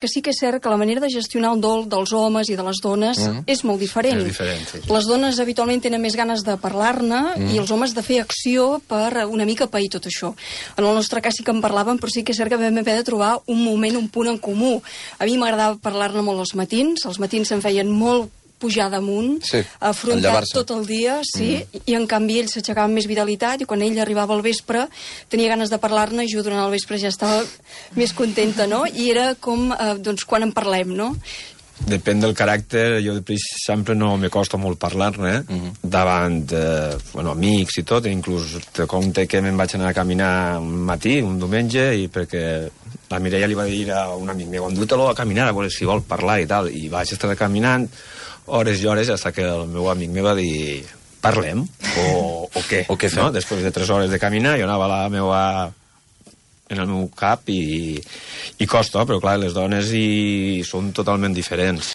que sí que és cert que la manera de gestionar el dol dels homes i de les dones és molt diferent. És diferent, sí. Les dones habitualment tenen més ganes de parlar-ne i els homes de fer acció per una mica pair tot això. En el nostre cas sí que en parlàvem, però sí que és cert que vam haver de trobar un moment, un punt en comú. A mi m'agradava parlar-ne molt els matins se'm feien molt pujar damunt, afrontar tot el dia, i en canvi ell s'aixecava amb més vitalitat i quan ell arribava al vespre tenia ganes de parlar-ne i jo durant el vespre ja estava més contenta, no? I era com, doncs, quan en parlem, no? Depèn del caràcter, jo sempre no me costa molt parlar-ne davant amics i tot, inclús te compte que me'n vaig anar a caminar un matí, un diumenge, i perquè la Mireia li va dir a un amic meu, endú-te-lo a caminar, a veure si vol parlar i tal, i vaig estar caminant hores i hores, fins que el meu amic me va dir parlem, o què? O què fem? Després de 3 hores de caminar, jo anava en el meu cap i costa, però clar, les dones són totalment diferents.